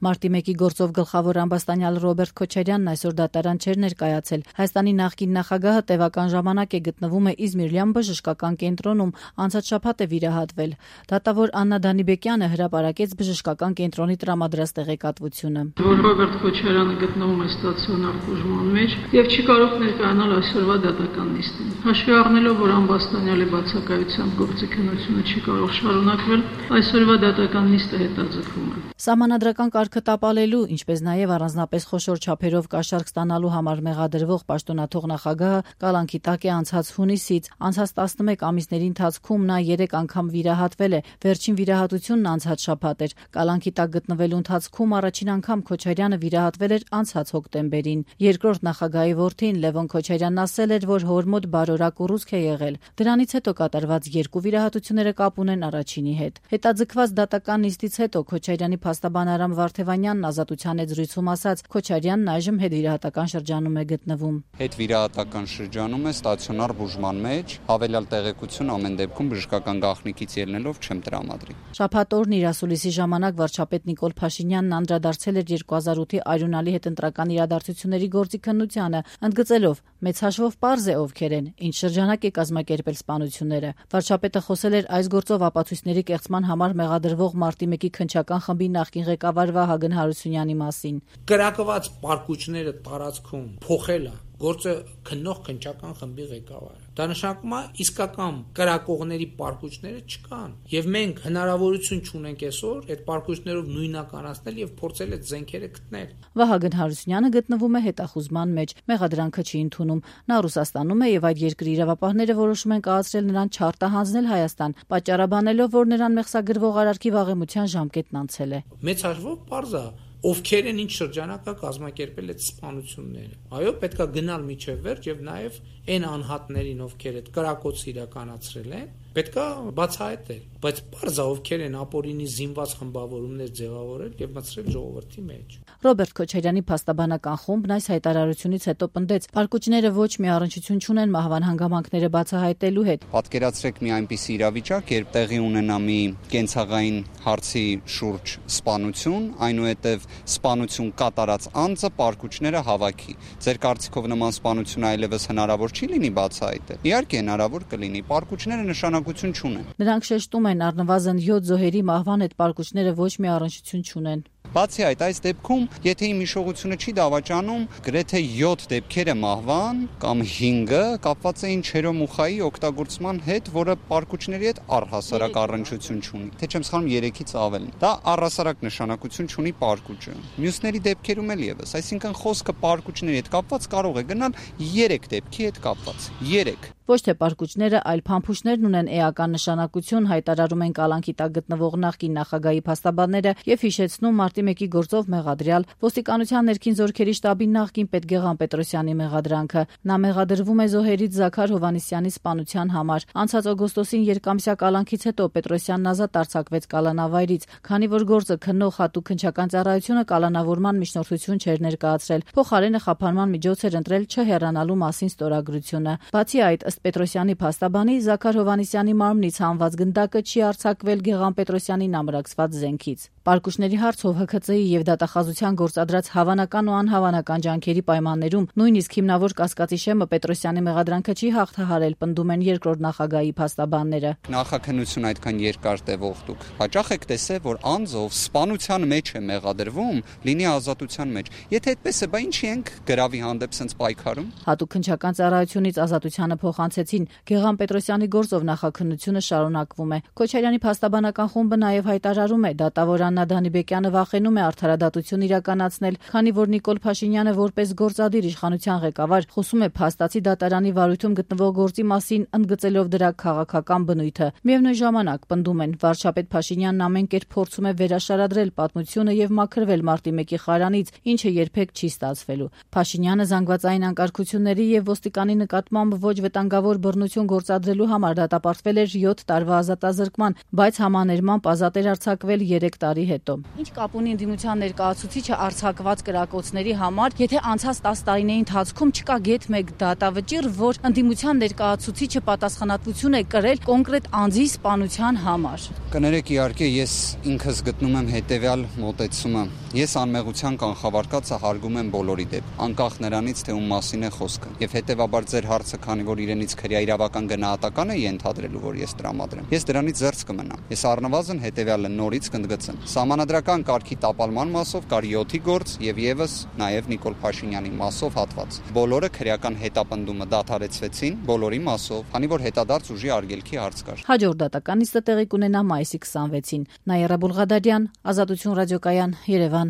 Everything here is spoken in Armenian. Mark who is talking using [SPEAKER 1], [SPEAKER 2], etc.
[SPEAKER 1] Մարտի 1-ի գործով գլխավոր ամբաստանյալ Ռոբերտ Քոչարյանն այսօր դատարան չէր ներկայացել։ Հայաստանի նախկին նախագահը տևական ժամանակ է գտնվում է Իզմիր-Լյան բժշկական կենտրոնում, անցած շաբաթ է վիրահատվել։ Դատավոր Աննա Դանիբեկյանը հրապարակեց բժշկական կենտրոնի տրամադրած տեղեկատվությունը։
[SPEAKER 2] Ռոբերտ Քոչարյանը գտնվում է ստացիոնար բուժման մեջ եւ չի կարող ներկայանալ այսօրվա դատական նիստին։ Հաշվի առնելով, որ ամբաստանյալի բացակայությամբ գործիքնությունը չի կարող շարունակվել, այսօրվա դատական նիստը հետաձգվում է։
[SPEAKER 1] Սահմանադրական կարգը տապալելու, ինչպես նաև առանձնապես խոշոր չափերով կաշառք ստանալու համար մեղադրվող պաշտոնաթող նախագահը կալանքի տակ է անցած հունիսից։ Անցած 11 ամիսների ընթացքում նա 3 անգամ վիրահատվել է։ Վերջին վիրահատությունն անցած շաբաթ էր։ Կալանքի տակ գտնվելու ընթացքում առաջին անգամ Քոչարյանը վիրահատվել էր անցած հոկտեմբերին։ Երկրորդ նախագահի որդին Լևոն Քոչարյանն ասել էր, որ հոր մոտ բարորակ ուռուցք է եղել։ Դրանից հետո կատարված 2 վիրահատությունները կապ ունեն առաջինի հետ։ Հետաձգված դատական նիստից հետո Քոչարյանի փաստաբան Արամ Վարդևանյանն ազատության հետ զրույցում ասաց, Քոչարյանն այժմ հետվիրահատական շրջանում է գտնվում։
[SPEAKER 3] Հետվիրահատական շրջանում է ստացիոնար բուժման մեջ, հավելյալ տեղեկություն ամեն դեպքում բժշկական գաղտնիքից ելնելով չեմ տրամադրի։
[SPEAKER 1] Շաբաթ օրն իր ասուլիսի ժամանակ վարչապետ Նիկոլ Փաշինյանն անդրադարձել էր 2008-ի արյունալի հետ ընտրական իրադարձությունների գործիքնությանը, ընդգծելով, մեծ հաշվով պարզ է ովքեր են, ինչ շրջանակ է կազմակերպել սպանությունները։ Վարչապետը խոսել էր այս գործով ապացույցների կեղծման համար մեղադրվող Մարտի 1-ի քննչական խմբի նախկին ղեկավար Վահագն Հարությունյանի մասին։
[SPEAKER 4] Կրակված պարկուճները տարածքում փոխելը գործը քննող քննչական խմբի ղեկավարը։ Դա նշանակում է իսկական կրակողների պարկուճները չկան, եւ մենք հնարավորություն չունենք այսօր այդ պարկուճներով նույնականացնել եւ փորձել այդ զենքերը գտնել։
[SPEAKER 1] Վահագն Հարությունյանը գտնվում է հետախուզման մեջ, մեղադրանքը չի ընդունում։ Նա Ռուսաստանում է եւ այդ երկրի իրավապահները որոշում են կայացրել նրան չարտահանձնել Հայաստան, պատճառաբանելով, որ նրան մեղսագրվող արարքի վաղեմության ժամկետն անցել է։
[SPEAKER 4] Մեծ հաշվով պարզ է ովքեր են ինչ շրջանակա կազմակերպել այդ սպանությունները։ Այո, պետքա գնալ միջև վերջ եւ նաեւ այն անհատներին, ովքեր այդ կրակոցը իրականացրել են, պետքա բացահայտել, բայց պարզ է ովքեր են ապօրինի զինված խմբավորումներ ձևավորել եւ մտցրել ժողովրդի մեջ։
[SPEAKER 1] Ռոբերտ Քոչարյանի փաստաբանական խումբն այս հայտարարությունից հետո պնդեց, պարկուճները ոչ մի առնչություն չունեն մահվան հանգամանքները բացահայտելու հետ։
[SPEAKER 3] Պատկերացրեք մի այնպիսի իրավիճակ, երբ տեղի ունենա մի կենցաղային հարցի շուրջ սպանություն, այնուհետև սպանություն կատարած անձը պարկուճները հավաքի։ Ձեր կարծիքով նման սպանություն այլևս հնարավոր չի լինի բացահայտել։ Իհարկե հնարավոր կլինի, պարկուճները նշանակություն չունեն։
[SPEAKER 1] Նրանք շեշտում են առնվազն 7 զոհերի մահվան հետ պարկուճները ոչ մի առնչություն չունեն։
[SPEAKER 3] Բացի այդ, այս դեպքում, եթե իմ հիշողությունը չի դավաճանում, գրեթե 7 դեպքերը մահվան կամ 5-ը կապված էին չերոմուխայի օգտագործման հետ, որը պարկուճների հետ առհասարակ առնչություն չունի։ Թե չեմ սխալվում 3-ից ավելն։ Դա առհասարակ նշանակություն չունի պարկուճը։ Մյուսների դեպքերում էլ եւս, այսինքն խոսքը պարկուճների հետ կապված կարող է գնալ 3 դեպքի հետ կապված։ 3
[SPEAKER 1] Ոչ թե պարկուճները, այլ փամփուշտներն ունեն էական նշանակություն, հայտարարում են կալանքի տակ գտնվող նախկին նախագահի փաստաբանները եւ հիշեցնում Մարտի 1-ի գործով մեղադրյալ ոստիկանության ներքին զորքերի շտաբի նախկին պետ Գեղամ Պետրոսյանի մեղադրանքը։ Նա մեղադրվում է զոհերից Զաքար Հովհաննիսյանի սպանության համար։ Անցած օգոստոսին երկամսյա կալանքից հետո Պետրոսյանն ազատ արձակվեց կալանավայրից, քանի որ գործը քննող հատուկ քննչական ծառայությունը կալանավորման միջնորդություն չէր ներկայացրել։ Փոխարենը խափանման միջոց էր ընտրել չհեռանալու մասին ստորագրությունը։ Բացի այդ, ըստ Պետրոսյանի փաստաբանի, Զաքար Հովհաննիսյանի մարմնից հանված գնդակը չի արձակվել Գեղամ Պետրոսյանին ամրացված զենքից։ Պարկուճների հարցով ՀՔԾ-ի եւ դատախազության գործադրած հավանական ու անհավանական ջանքերի պայմաններում նույնիսկ հիմնավոր կասկածի շեմը Պետրոսյանի մեղադրանքը չի հաղթահարել, պնդում են երկրորդ նախագահի փաստաբանները։
[SPEAKER 3] Նախաքննություն այդքան երկար տևող դուք հաճախ եք տեսել, որ անձով սպանության մեջ է մեղադրվում, լինի ազատության մեջ։ Եթե այդպես է, բա ինչի ենք գրավի հանդեպ սենց պայքարում։
[SPEAKER 1] Հատուկ քննչական ծառայությունից ազատությանը փոխանցեցին Գեղամ Պետրոսյանի գործով նախաքննությունը շարունակվում է։ Քոչարյանի փաստաբանական խումբը նաեւ հայտարարում է, դատավոր Աննա Դանիբեկյանը վախենում է արդարադատություն իրականացնել, քանի որ Նիկոլ Փաշինյանը որպես գործադիր իշխանության ղեկավար խոսում է փաստացի դատարանի վարույթում գտնվող գործի մասին, ընդգծելով դրա քաղաքական բնույթը։ Միևնույն ժամանակ պնդում են, վարչապետ Փաշինյանն ամեն կերպ փորձում է վերաշարադրել պատմությունը եւ մաքրվել Մարտի 1-ի խարանից, ինչը երբեք չի ստացվելու։ Փաշինյանը զանգվածային անկարգությունների եւ ոստիկանի նկատմամբ ոչ վտանգավոր բռնություն գործադրելու համար դատապարտվել էր 7 տարվա ազատազրկման, բայց համաներմամբ ազատ էր արձակվել 3 տարի հետո։ Ինչ կապ ունի ընդդիմության ներկայացուցիչը արձակված կրակոցների համար, եթե անցած 10 տարիների ընթացքում չկա գեթ մեկ դատավճիռ, որ ընդդիմության ներկայացուցիչը պատասխանատվություն է կրել կոնկրետ անձի սպանության համար։
[SPEAKER 3] Կներեք, իհարկե ես ինքս գտնում եմ հետեւյալ մոտեցումը։ Ես անմեղության կանխավարկածը հարգում եմ բոլորի դեպ, անկախ նրանից, թե ում մասին է խոսքը։ Եվ հետևաբար ձեր հարցը, քանի որ իրենից քրեա իրավական գնահատական է ենթադրելու, որ ես տրամադրեմ, ես դրանից զերծ կմնամ։ Ես առնվազն հետևյալը նորից կընդգծեմ։ Սահմանադրական կարգի տապալման մասով կար 7-ի գործ եւ եւս նաեւ Նիկոլ Փաշինյանի մասով հատված։ Բոլորը քրեական հետապնդումը դադարեցվեցին բոլորի մասով, քանի որ հետադարձ ուժի արգելքի հարց կար։
[SPEAKER 1] Հաջորդ դատական նիստը տեղի կունենա մայիսի 26-ին։ Նաիրա Բուլղադարյան, Ազատություն ռադիոկայան, Երևան։